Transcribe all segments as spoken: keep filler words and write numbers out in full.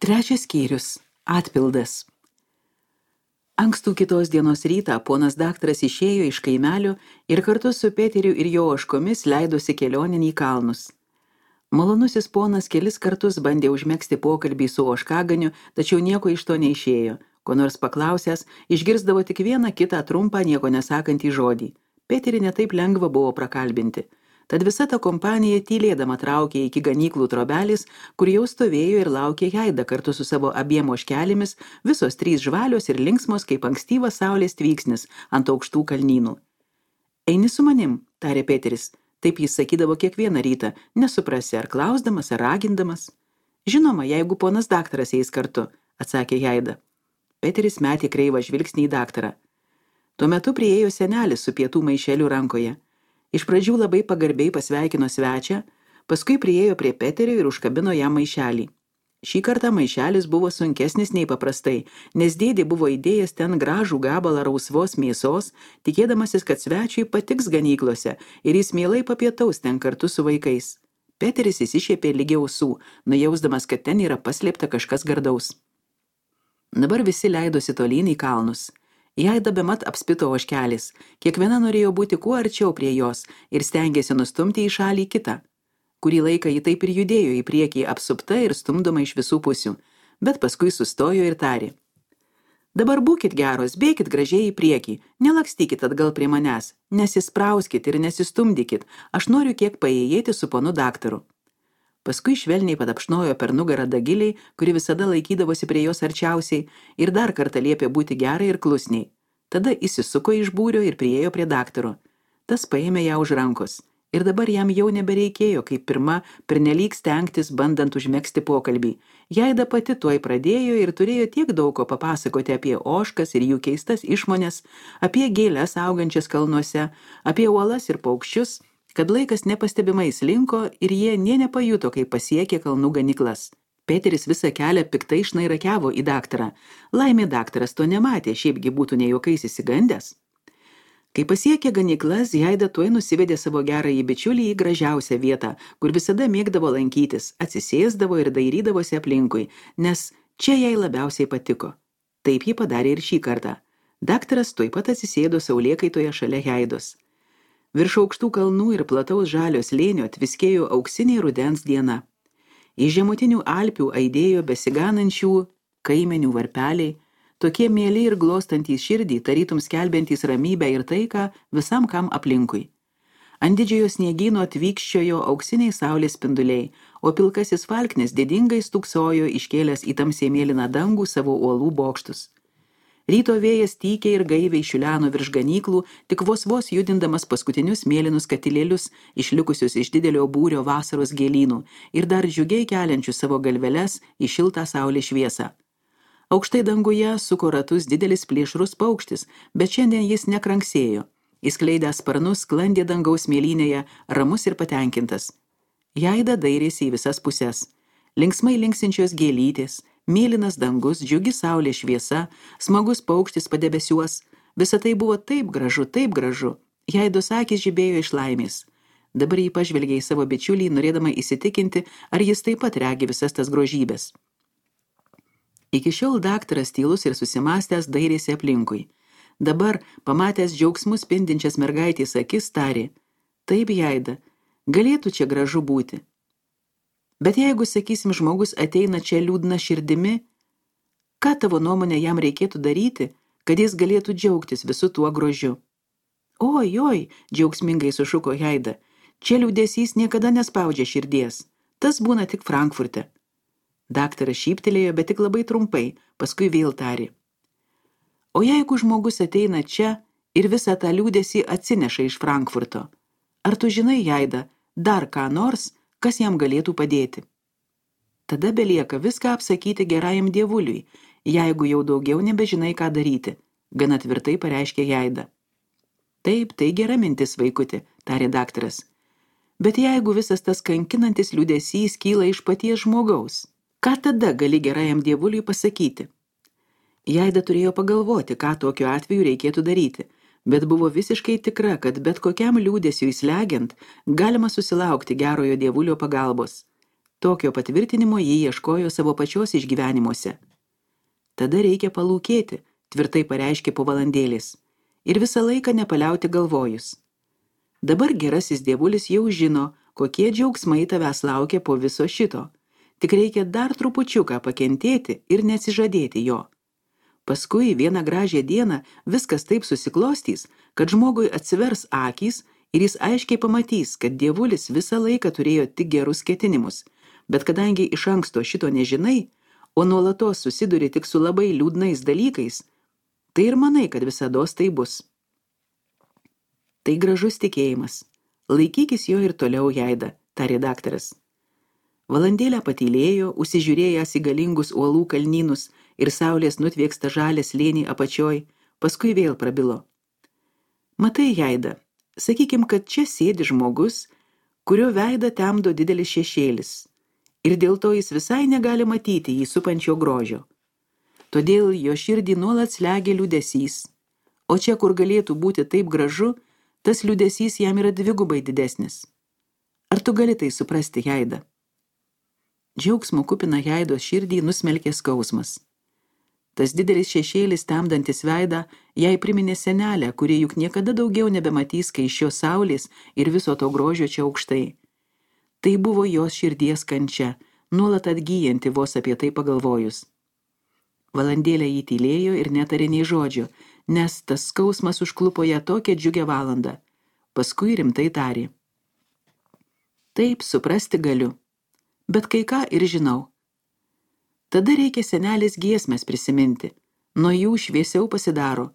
Trečias skyrius – atpildas. Ankstų kitos dienos rytą ponas daktaras išėjo iš kaimelio ir kartu su Peteriu ir jo ožkomis leidosi kelionin į kalnus. Malonusis ponas kelis kartus bandė užmegzti pokalbį su ožkaganiu, tačiau nieko iš to neišėjo. Ko nors paklausęs, išgirsdavo tik vieną kitą trumpą, nieko nesakantį žodį. Peterį netaip lengva buvo prakalbinti. Tad visa ta kompanija tylėdama traukė iki ganyklų trobelis, kur jau stovėjo ir laukė Jaida kartu su savo abiem ožkelėmis, visos trys žvalios ir linksmos kaip ankstyvas saulės tvyksnis ant aukštų kalnynų. Eini su manim, tarė Peteris. Taip jis sakydavo kiekvieną rytą, nesuprasi ar klausdamas, ar ragindamas. Žinoma, jeigu ponas daktaras eis kartu, atsakė Jaida. Peteris metė kreivą žvilgsnį į daktarą. Tuo metu priėjo senelis su pietų maišeliu rankoje. Iš pradžių labai pagarbiai pasveikino svečią, paskui priėjo prie Peterio ir užkabino jam maišelį. Šį kartą maišelis buvo sunkesnis nei paprastai, nes dėdė buvo įdėjęs ten gražų gabalą rausvos mėsos, tikėdamasis, kad svečiui patiks ganyklose ir jis mielai papietaus ten kartu su vaikais. Peteris įsišiepė lygiai ausų, nujausdamas, kad ten yra paslėpta kažkas gardaus. Dabar visi leidosi tolyn į kalnus. Jaida bemat apspito ožkelis, kiekviena norėjo būti kuo arčiau prie jos ir stengėsi nustumti į šalį kitą. Kurį laiką ji taip ir judėjo į priekį apsupta ir stumdoma iš visų pusių, bet paskui sustojo ir tarė. Dabar būkit geros, bėkit gražiai į priekį, nelakstykit atgal prie manęs, nesisprauskit ir nesistumdykit, aš noriu kiek paėjėti su ponu daktaru. Paskui švelniai padapšnojo per nugarą Dagiliai, kuri visada laikydavosi prie jos arčiausiai, ir dar kartą liepė būti gerai ir klusniai. Tada įsisuko iš būrio ir priėjo prie daktaro. Tas paėmė ją už rankos. Ir dabar jam jau nebereikėjo, kaip pirma, pernelyg stengtis, bandant užmegzti pokalbį. Jaida pati tuoj pradėjo ir turėjo tiek daug ko papasakoti apie ožkas ir jų keistas išmones, apie gėles augančias kalnuose, apie uolas ir paukščius, kad laikas nepastebimai slinko ir jie nė nepajuto, kai pasiekė kalnų ganyklas. Peteris visą kelią piktai šnairakiavo į daktarą. Laimė daktaras to nematė, šiaipgi būtų nejuokais įsigandęs. Kai pasiekė ganyklas, Jaida tuoj nusivedė savo gerąjį bičiulį į gražiausią vietą, kur visada mėgdavo lankytis, atsisėsdavo ir dairydavosi aplinkui, nes čia jai labiausiai patiko. Taip ji padarė ir šį kartą. Daktaras tuoj pat atsisėdo saulėkaitoje šalia Jaidos. Virš aukštų kalnų ir plataus žalio slėnio tviskėjo auksiniai rudens diena. Iš žemutinių Alpių aidėjo besiganančių kaimenių varpeliai, tokie mieli ir glostantys širdį, tarytum skelbiantys ramybę ir taiką visam kam aplinkui. Ant didžiojo sniegyno tvykščiojo auksiniai saulės spinduliai, o pilkasis falknis didingai stūksojo iškėlęs į tamsiai mėlyną dangų savo uolų bokštus. Ryto vėjas tykiai ir gaiviai šiuleno virš ganyklų, tik vos vos judindamas paskutinius mėlynus katilėlius, išlikusius iš didelio būrio vasaros gėlynų ir dar džiugiai keliančius savo galveles į šiltą saulės šviesą. Aukštai danguje suko ratus didelis plėšrus paukštis, bet šiandien jis nekranksėjo. Įskleidęs sparnus sklandė dangaus mėlynėje, ramus ir patenkintas. Jaida dairėsi į visas puses. Linksmai linksinčios gėlytės, mėlynas dangus, džiugi saulės šviesa, smagus paukštis padebesiuos. Visa tai buvo taip gražu, taip gražu. Jaidos akys žibėjo iš laimės. Dabar jį pažvelgė į savo bičiulį, norėdama įsitikinti, ar jis taip pat regi visas tas grožybės. Iki šiol daktaras tylus ir susimąstęs dairėsi aplinkui. Dabar, pamatęs džiaugsmus spindinčias mergaitės akis, tarė, taip, Jaida, galėtų čia gražu būti. Bet jeigu, sakysim, žmogus ateina čia liūdna širdimi, ką tavo nuomonė jam reikėtų daryti, kad jis galėtų džiaugtis visu tuo grožiu? Oi, oi, džiaugsmingai sušuko Jaida, čia liūdesys niekada nespaudžia širdies, tas būna tik Frankfurte. Daktaras šyptelėjo, bet tik labai trumpai, paskui vėl tarė. O jeigu žmogus ateina čia ir visą tą liūdesį atsineša iš Frankfurto, ar tu žinai, Jaida, dar ką nors, kas jam galėtų padėti? Tada belieka viską apsakyti gerajam dievuliui, jeigu jau daugiau nebežinai, ką daryti, gana tvirtai pareiškė Jaida. Taip, tai gera mintis, vaikuti, tarė daktaras. Bet jeigu visas tas kankinantis liūdesys kyla iš paties žmogaus, ką tada gali gerajam dievuliui pasakyti? Jaida turėjo pagalvoti, ką tokiu atveju reikėtų daryti, bet buvo visiškai tikra, kad bet kokiam liūdesiui slegiant galima susilaukti gerojo dievulio pagalbos. Tokio patvirtinimo jį ieškojo savo pačios išgyvenimuose. Tada reikia palūkėti, tvirtai pareiškė po valandėlės, ir visą laiką nepaliauti galvojus. Dabar gerasis dievulis jau žino, kokie džiaugsmai tavęs laukia po viso šito. Tik reikia dar trupučiuką pakentėti ir neatsižadėti jo. Paskui vieną gražią dieną viskas taip susiklostys, kad žmogui atsivers akys ir jis aiškiai pamatys, kad dievulis visą laiką turėjo tik gerus ketinimus, bet kadangi iš anksto šito nežinai, o nuolatos susiduri tik su labai liūdnais dalykais, tai ir manai, kad visados tai bus. Tai gražus tikėjimas. Laikykis jo ir toliau, Jaida, tarė daktaras. Valandėlę patylėjo, užsižiūrėjęs į galingus uolų kalnynus ir saulės nutvieksta žalę slėnį apačioj, paskui vėl prabilo. Matai, Jaida, sakykim, kad čia sėdi žmogus, kurio veidą temdo didelis šešėlis, ir dėl to jis visai negali matyti jį supančio grožio. Todėl jo širdį nuolat slegia liūdesys, o čia, kur galėtų būti taip gražu, tas liūdesys jam yra dvigubai didesnis. Ar tu gali tai suprasti, Jaida? Džiaugsmo kupina Jaidos širdį nusmelkė skausmas. Tas didelis šešėlis temdantis veidą jai priminė senelę, kurie juk niekada daugiau nebematys skaisčios saulės ir viso to grožio čia aukštai. Tai buvo jos širdies kančia, nuolat atgyjanti vos apie tai pagalvojus. Valandėlę jį tylėjo ir netarė nei žodžio, nes tas skausmas užklupo ją tokią džiugę valandą. Paskui rimtai tarė. Taip, suprasti galiu, bet kai ką ir žinau. Tada reikia senelės giesmės prisiminti, nuo jų šviesiau pasidaro,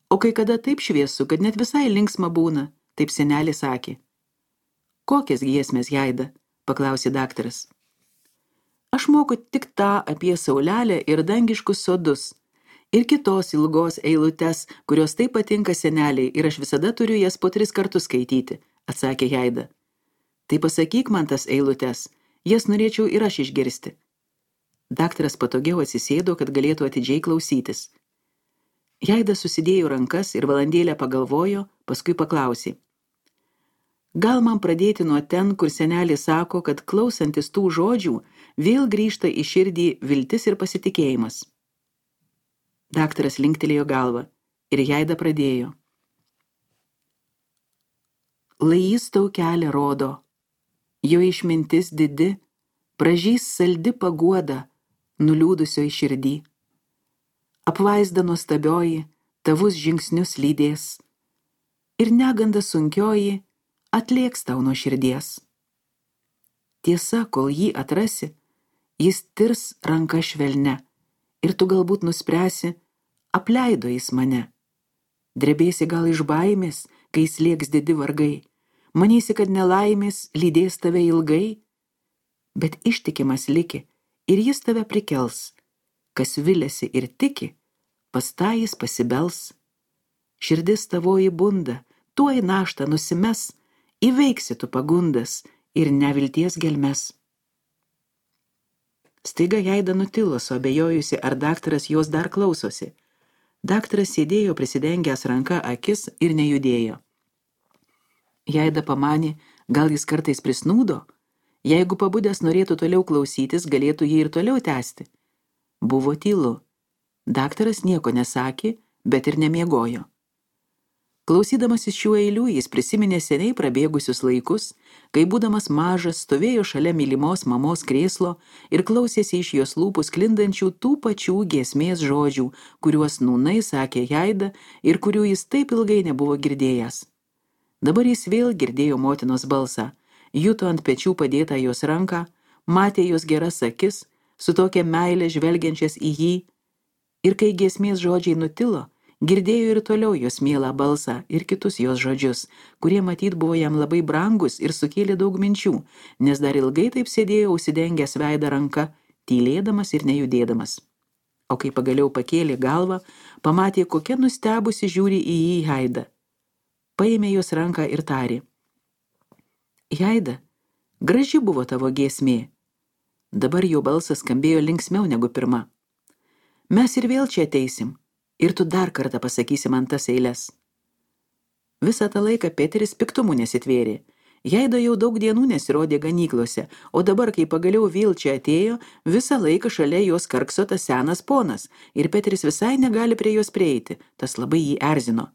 o kai kada taip šviesu, kad net visai linksma būna, taip senelė sakė. Kokias giesmės, Jaida? Paklausė daktaras. Aš moku tik tą apie saulelę ir dangiškus sodus, ir kitos ilgos eilutes, kurios taip patinka seneliai, ir aš visada turiu jas po tris kartus skaityti, atsakė Jaida. Tai pasakyk man tas eilutes, jas norėčiau ir aš išgirsti. Daktaras patogiau atsisėdo, kad galėtų atidžiai klausytis. Jaida susidėjo rankas ir valandėlę pagalvojo, paskui paklausė. Gal man pradėti nuo ten, kur senelė sako, kad klausantis tų žodžių vėl grįžta į širdį viltis ir pasitikėjimas. Daktaras linktelėjo galvą ir Jaida pradėjo. Lai jis tau kelią rodo, jo išmintis didi, pražys saldi paguoda, nuliūdusio į širdį. Apvaizda nuostabioji, tavus žingsnius lydės, ir neganda sunkioji atlėks tau nuo širdies. Tiesa, kol jį atrasi, jis tirs ranka švelne, ir tu galbūt nuspręsi, apleido jis mane. Drebėsi gal iš baimės, kai slėgs didi vargai, manysi, kad nelaimės lydės tave ilgai, bet ištikimas liki, ir jis tave prikels. Kas viliasi ir tiki, pas tą jis pasibels. Širdis tavoji bunda, tuoj naštą nusimes, įveiksi tu pagundas ir nevilties gelmes. Staiga Jaida nutilo, suabejojusi, ar daktaras jos dar klausosi. Daktaras sėdėjo prisidengęs ranka akis ir nejudėjo. Jaida pamanė, gal jis kartais prisnūdo? Jeigu pabudęs norėtų toliau klausytis, galėtų jį ir toliau tęsti. Buvo tylu. Daktaras nieko nesakė, bet ir nemiegojo. Klausydamasis šių eilių, jis prisiminė seniai prabėgusius laikus, kai būdamas mažas stovėjo šalia mylimos mamos krėslo ir klausėsi iš jos lūpų sklindančių tų pačių giesmės žodžių, kuriuos nūnai sakė Jaida ir kurių jis taip ilgai nebuvo girdėjęs. Dabar jis vėl girdėjo motinos balsą, juto ant pečių padėtą jos ranką, matė jos geras akis, su tokia meile žvelgiančias į jį, ir kai giesmės žodžiai nutilo, girdėjo ir toliau jos mielą balsą ir kitus jos žodžius, kurie matyt buvo jam labai brangus ir sukėlė daug minčių, nes dar ilgai taip sėdėjo užsidengęs veidą ranka, tylėdamas ir nejudėdamas. O kai pagaliau pakėlė galvą, pamatė, kokia nustebusi žiūri į jį Jaida. Paėmė jos ranką ir tarė. Jaida, graži buvo tavo giesmė. Dabar jo balsas skambėjo linksmiau negu pirma. Mes ir vėl čia ateisim. Ir tu dar kartą pasakysi man tas eiles. Visą tą laiką Peteris piktumu nesitvėrė. Jaida jau daug dienų nesirodė ganyklose, o dabar, kai pagaliau vėl čia atėjo, visą laiką šalia jos karkso tas senas ponas, ir Peteris visai negali prie jos prieiti, tas labai jį erzino.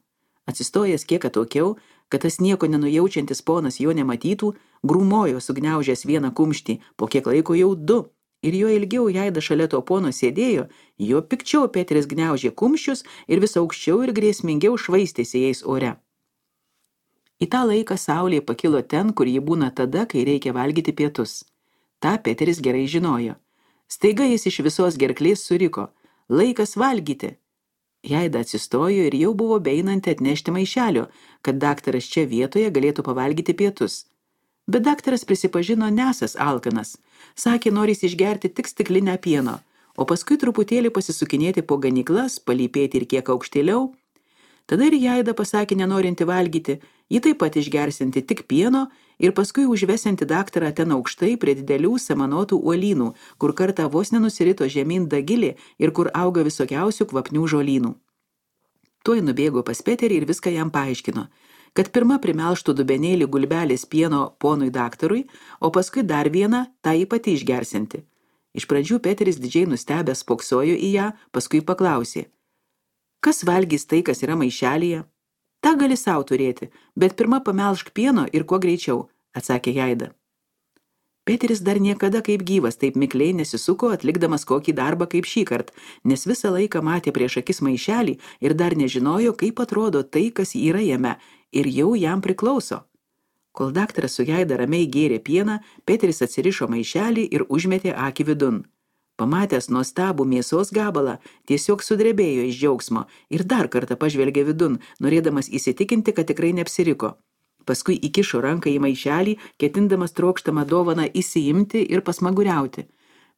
Atsistojęs kiek atokiau, kad tas nieko nenujaučiantis ponas jo nematytų, grūmojo sugniaužęs vieną kumštį, po kiek laiko jau du, ir jo ilgiau Jaida šalia to pono sėdėjo, jo pikčiau Peteris gniaužė kumščius ir vis aukščiau ir grėsmingiau švaistėsi jais ore. Į tą laiką saulė pakilo ten, kur ji būna tada, kai reikia valgyti pietus. Ta Peteris gerai žinojo. Staiga jis iš visos gerklės suriko: "Laikas valgyti!" Jaida atsistojo ir jau buvo beeinanti atnešti maišelio, kad daktaras čia vietoje galėtų pavalgyti pietus. Bet daktaras prisipažino nesas alkanas. Sakė, norės išgerti tik stiklinę pieno, o paskui truputėlį pasisukinėti po ganyklas, palypėti ir kiek aukštėliau. Tada ir Jaida pasakė nenorinti valgyti, ji taip pat išgersinti tik pieno ir paskui užvesinti daktarą ten aukštai prie didelių samanotų uolynų, kur kartą vos nenusirito žemyn dagilė ir kur auga visokiausių kvapnių žolynų. Tuoj nubėgo pas Peterį ir viską jam paaiškino, kad pirma primelštų dubenėlį gulbelės pieno ponui daktarui, o paskui dar vieną tą jį pati išgersinti. Iš pradžių Peteris didžiai nustebęs spoksojo į ją, paskui paklausė: "Kas valgys tai, kas yra maišelyje?" "Ta gali sau turėti, bet pirma pamelšk pieno ir kuo greičiau", atsakė Jaida. Peteris dar niekada kaip gyvas taip mikliai nesisuko, atlikdamas kokį darbą kaip šįkart, nes visą laiką matė prieš akis maišelį ir dar nežinojo, kaip atrodo tai, kas yra jame, ir jau jam priklauso. Kol daktaras su Jaida ramiai gėrė pieną, Peteris atsirišo maišelį ir užmetė akį vidun. Pamatęs nuostabų mėsos gabalą, tiesiog sudrebėjo iš džiaugsmo ir dar kartą pažvelgė vidun, norėdamas įsitikinti, kad tikrai neapsiriko. Paskui įkišo ranką į maišelį, ketindamas trokštamą dovaną įsiimti ir pasmaguriauti.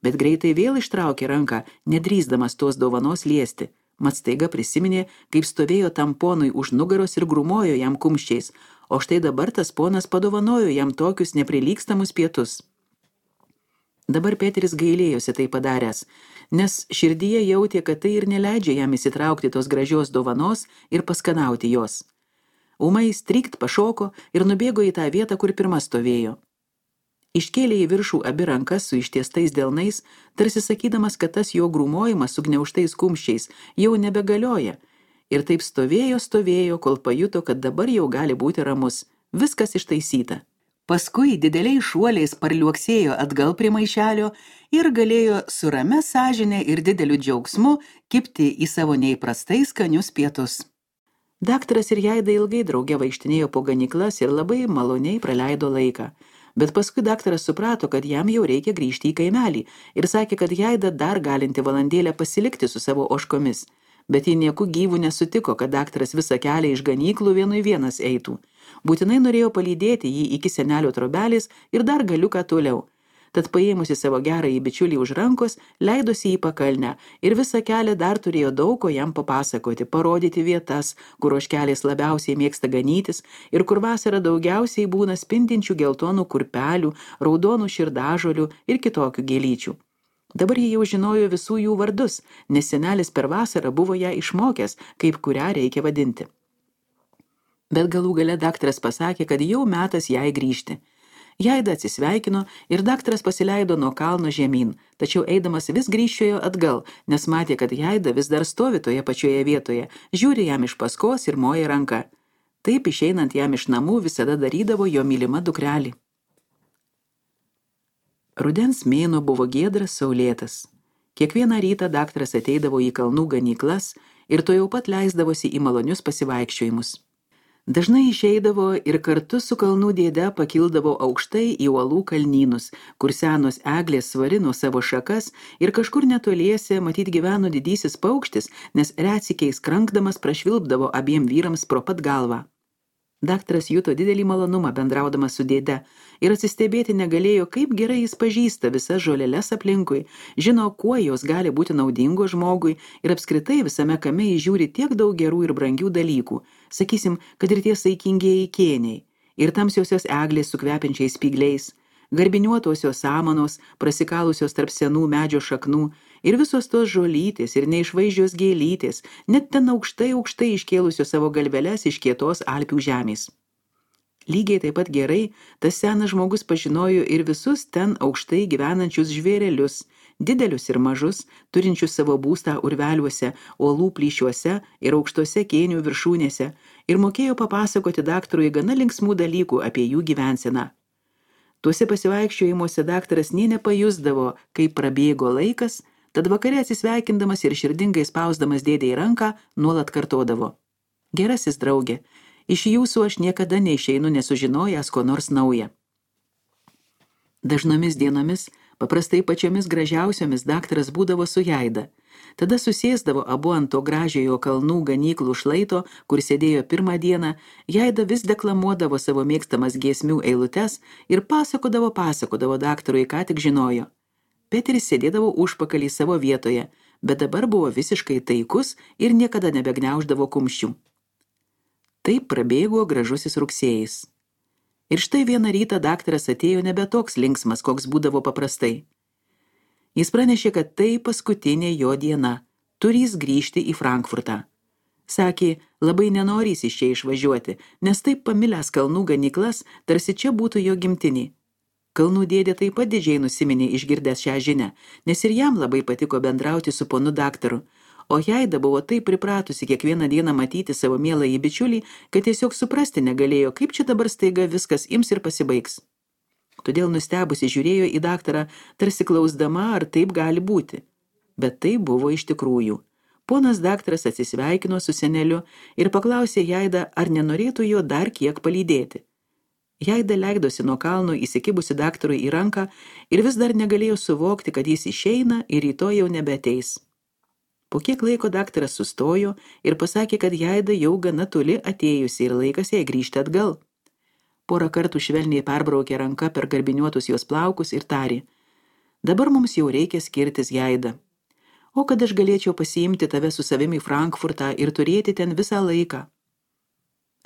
Bet greitai vėl ištraukė ranką, nedrįsdamas tos dovanos liesti. Mat staiga prisiminė, kaip stovėjo tam ponui už nugaros ir grūmojo jam kumščiais, o štai dabar tas ponas padovanojo jam tokius neprilygstamus pietus. Dabar Peteris gailėjosi tai padaręs, nes širdyje jautė, kad tai ir neleidžia jam įsitraukti tos gražios dovanos ir paskanauti jos. Ūmai strykt pašoko ir nubėgo į tą vietą, kur pirma stovėjo. Iškėlė į viršų abi rankas su ištiestais delnais, tarsi sakydamas, kad tas jo grūmojimas su gniaužtais kumščiais jau nebegalioja. Ir taip stovėjo, stovėjo, kol pajuto, kad dabar jau gali būti ramus. Viskas ištaisyta. Paskui dideliais šuoliais parliuoksėjo atgal prie maišelio ir galėjo su ramia sąžine ir dideliu džiaugsmu kibti į savo neįprastai skanius pietus. Daktaras ir Jaida ilgai drauge vaikštinėjo po ganyklas ir labai maloniai praleido laiką. Bet paskui daktaras suprato, kad jam jau reikia grįžti į kaimelį ir sakė, kad Jaida dar galinti valandėlę pasilikti su savo ožkomis. Bet ji nieku gyvų nesutiko, kad daktaras visą kelią iš ganyklų vienui vienas eitų. Būtinai norėjo palydėti jį iki senelio trobelės ir dar galiuką toliau. Tad paėmusi savo gerąjį bičiulį už rankos, leidosi į pakalnę ir visą kelią dar turėjo daug ko jam papasakoti, parodyti vietas, kur ožkelės labiausiai mėgsta ganytis ir kur vasarą daugiausiai būna spindinčių geltonų kurpelių, raudonų širdažolių ir kitokių gėlyčių. Dabar jie jau žinojo visų jų vardus, nes senelis per vasarą buvo ją išmokęs, kaip kurią reikia vadinti. Bet galų gale daktaras pasakė, kad jau metas jai grįžti. Jaida atsisveikino ir daktaras pasileido nuo kalno žemyn, tačiau eidamas vis grįžčiojo atgal, nes matė, kad Jaida vis dar stovi toje pačioje vietoje, žiūri jam iš paskos ir moja ranka. Taip išeinant jam iš namų visada darydavo jo mylima dukrelį. Rudens mėnuo buvo giedras, saulėtas. Kiekvieną rytą daktaras ateidavo į kalnų ganyklas ir to jau pat leisdavosi į malonius pasivaikščiojimus. Dažnai išeidavo ir kartu su kalnų dėde pakildavo aukštai į uolų kalnynus, kur senos eglės svarino savo šakas ir kažkur netoliese matyt gyveno didysis paukštis, nes retsykiais krankdamas prašvilpdavo abiem vyrams pro pat galvą. Daktaras juto didelį malonumą bendraudamas su dėde ir atsistebėti negalėjo, kaip gerai jis pažįsta visas žoleles aplinkui, žino, kuo jos gali būti naudingo žmogui ir apskritai visame kame įžiūri tiek daug gerų ir brangių dalykų, sakysim, kad ir tie saikingieji kėniai, ir tamsiosios eglės su kvepiančiais spygliais, garbiniuotosios samanos, prasikalusios tarp senų medžio šaknų, ir visos tos žolytės ir neišvaizdžios gėlytės, net ten aukštai aukštai iškėlusios savo galveles iš kietos Alpių žemės. Lygiai taip pat gerai tas senas žmogus pažinojo ir visus ten aukštai gyvenančius žvėrelius, didelius ir mažus, turinčius savo būstą urveliuose, uolų plyšiuose ir aukštose kėnių viršūnėse, ir mokėjo papasakoti daktarui gana linksmų dalykų apie jų gyvenseną. Tuose pasivaikščiojimuose daktaras nė nepajusdavo, kaip prabėgo laikas, tad vakare atsisveikindamas ir širdingai spausdamas dėdei ranką, nuolat kartodavo: "Gerasis draugė, iš jūsų aš niekada neišeinu nesužinojęs ko nors nauja." Dažnomis dienomis, paprastai pačiomis gražiausiomis, daktaras būdavo su Jaida. Tada susėsdavo abu ant to gražiojo kalnų ganyklų šlaito, kur sėdėjo pirmą dieną, Jaida vis deklamuodavo savo mėgstamas giesmių eilutes ir pasakodavo, pasakodavo daktarui, ką tik žinojo. Peteris sėdėdavo užpakalį savo vietoje, bet dabar buvo visiškai taikus ir niekada nebegniauždavo kumščių. Taip prabėgo gražusis rugsėjis. Ir štai vieną rytą daktaras atėjo nebe toks linksmas, koks būdavo paprastai. Jis pranešė, kad tai paskutinė jo diena, turys grįžti į Frankfurtą. Sakė, labai nenorys iš čia išvažiuoti, nes taip pamilęs kalnų ganyklas, tarsi čia būtų jo gimtinė. Kalnų dėdė taip pat didžiai nusiminė išgirdęs šią žinią, nes ir jam labai patiko bendrauti su ponu daktaru, o Jaida buvo taip pripratusi kiekvieną dieną matyti savo mieląjį bičiulį, kad tiesiog suprasti negalėjo, kaip čia dabar staiga viskas ims ir pasibaigs. Todėl nustebusi žiūrėjo į daktarą, tarsi klausdama, ar taip gali būti. Bet tai buvo iš tikrųjų. Ponas daktaras atsisveikino su seneliu ir paklausė Jaidą, ar nenorėtų jo dar kiek palydėti. Jaida leidosi nuo kalno įsikibusi daktarui į ranką ir vis dar negalėjo suvokti, kad jis išeina ir rytoj jau nebeateis. Po kiek laiko daktaras sustojo ir pasakė, kad Jaida jau gana toli atėjusi ir laikas jai grįžti atgal. Porą kartų švelniai perbraukė ranka per garbiniuotus jos plaukus ir tarė: "Dabar mums jau reikia skirtis, Jaida. O kad aš galėčiau pasiimti tave su savimi į Frankfurtą ir turėti ten visą laiką."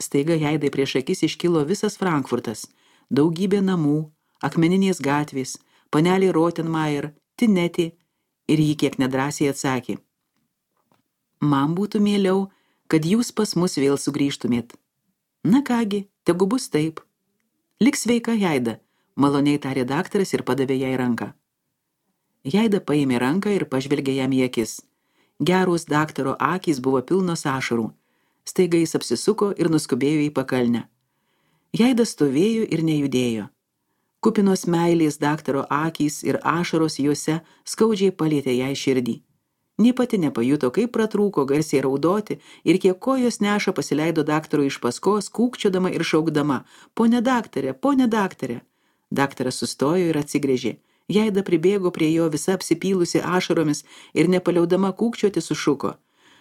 Staiga Jaidai prieš akis iškilo visas Frankfurtas, daugybė namų, akmeninės gatvės, panelė Rottenmeier, Tinetė, ir ji kiek nedrąsiai atsakė: "Man būtų mieliau, kad jūs pas mus vėl sugrįžtumėt." "Na kągi, tegu bus taip." "Lik sveika, Jaida," maloniai tarė daktaras ir padavė jai ranką. Jaida paėmė ranką ir pažvelgė jam į akis. Geros daktaro akys buvo pilnos ašarų. Staiga jis apsisuko ir nuskubėjo į pakalnę. Jaida stovėjo ir nejudėjo. Kupinos meilės daktaro akys ir ašaros juose skaudžiai palietė jai širdį. Nė pati nepajuto, kaip pratrūko garsiai raudoti ir kiek kojos neša pasileido daktaro iš paskos, kūkčiodama ir šaukdama: "Pone daktare, pone daktare." Daktaras sustojo ir atsigręžė. Jaida pribėgo prie jo visa apsipylusi ašaromis ir nepaliaudama kūkčioti sušuko: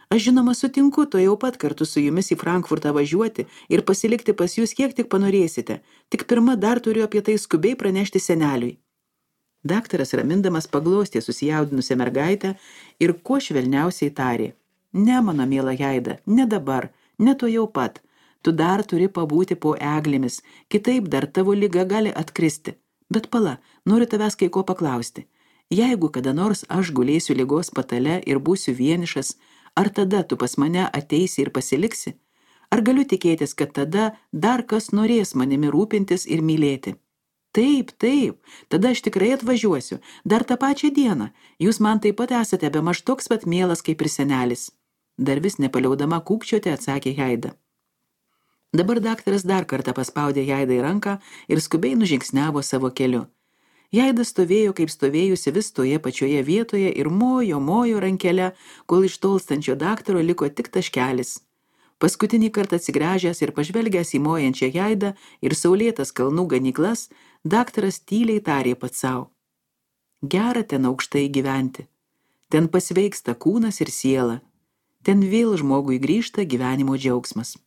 "Aš žinoma sutinku to jau pat kartu su jumis į Frankfurtą važiuoti ir pasilikti pas jūs kiek tik panorėsite, tik pirma dar turiu apie tai skubiai pranešti seneliui." Daktaras ramindamas paglostė susijaudinusią mergaitę ir kuo švelniausiai tarė: "Ne, mano miela Jaida, ne dabar, ne to jau pat. Tu dar turi pabūti po eglėmis, kitaip dar tavo liga gali atkristi. Bet pala, noriu tavęs kai ko paklausti. Jeigu kada nors aš gulėsiu ligos patale ir būsiu vienišas, ar tada tu pas mane ateisi ir pasiliksi? Ar galiu tikėtis, kad tada dar kas norės manimi rūpintis ir mylėti?" "Taip, taip, tada aš tikrai atvažiuosiu, dar tą pačią dieną. Jūs man taip pat esate bemaž toks pat mielas kaip ir senelis." Dar vis nepaliaudama kūkčioti atsakė Jaida. Dabar daktaras dar kartą paspaudė Jaidai ranką ir skubiai nužingsniavo savo keliu. Jaida stovėjo, kaip stovėjusi vis toje pačioje vietoje ir mojo, mojo rankelę, kol iš tolstančio daktaro liko tik taškelis. Paskutinį kartą atsigręžęs ir pažvelgęs į mojančią Jaidą ir saulėtas kalnų ganyklas, daktaras tyliai tarė pats sau: "Gera ten aukštai gyventi. Ten pasveiksta kūnas ir siela. Ten vėl žmogui grįžta gyvenimo džiaugsmas."